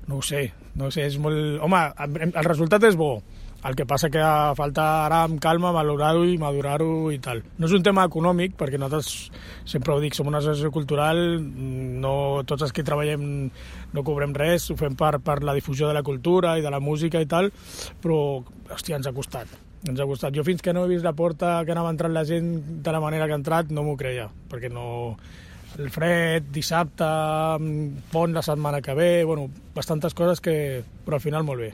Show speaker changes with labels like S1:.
S1: No ho sé, és molt... Home, el resultat és bo. El que passa que falta ara amb calma valorar-ho i madurar-ho i tal. No és un tema econòmic, perquè nosaltres, sempre ho dic, som una associació cultural, no tots els que treballem no cobrem res, ho fem per la difusió de la cultura i de la música i tal, però, hòstia, ens ha costat. Ens ha costat. Jo fins que no he vist la porta que anava entrant la gent de la manera que ha entrat, no m'ho creia, perquè no... El fred, dissabte, pont la setmana que ve, bueno, bastantes coses que... però al final molt bé.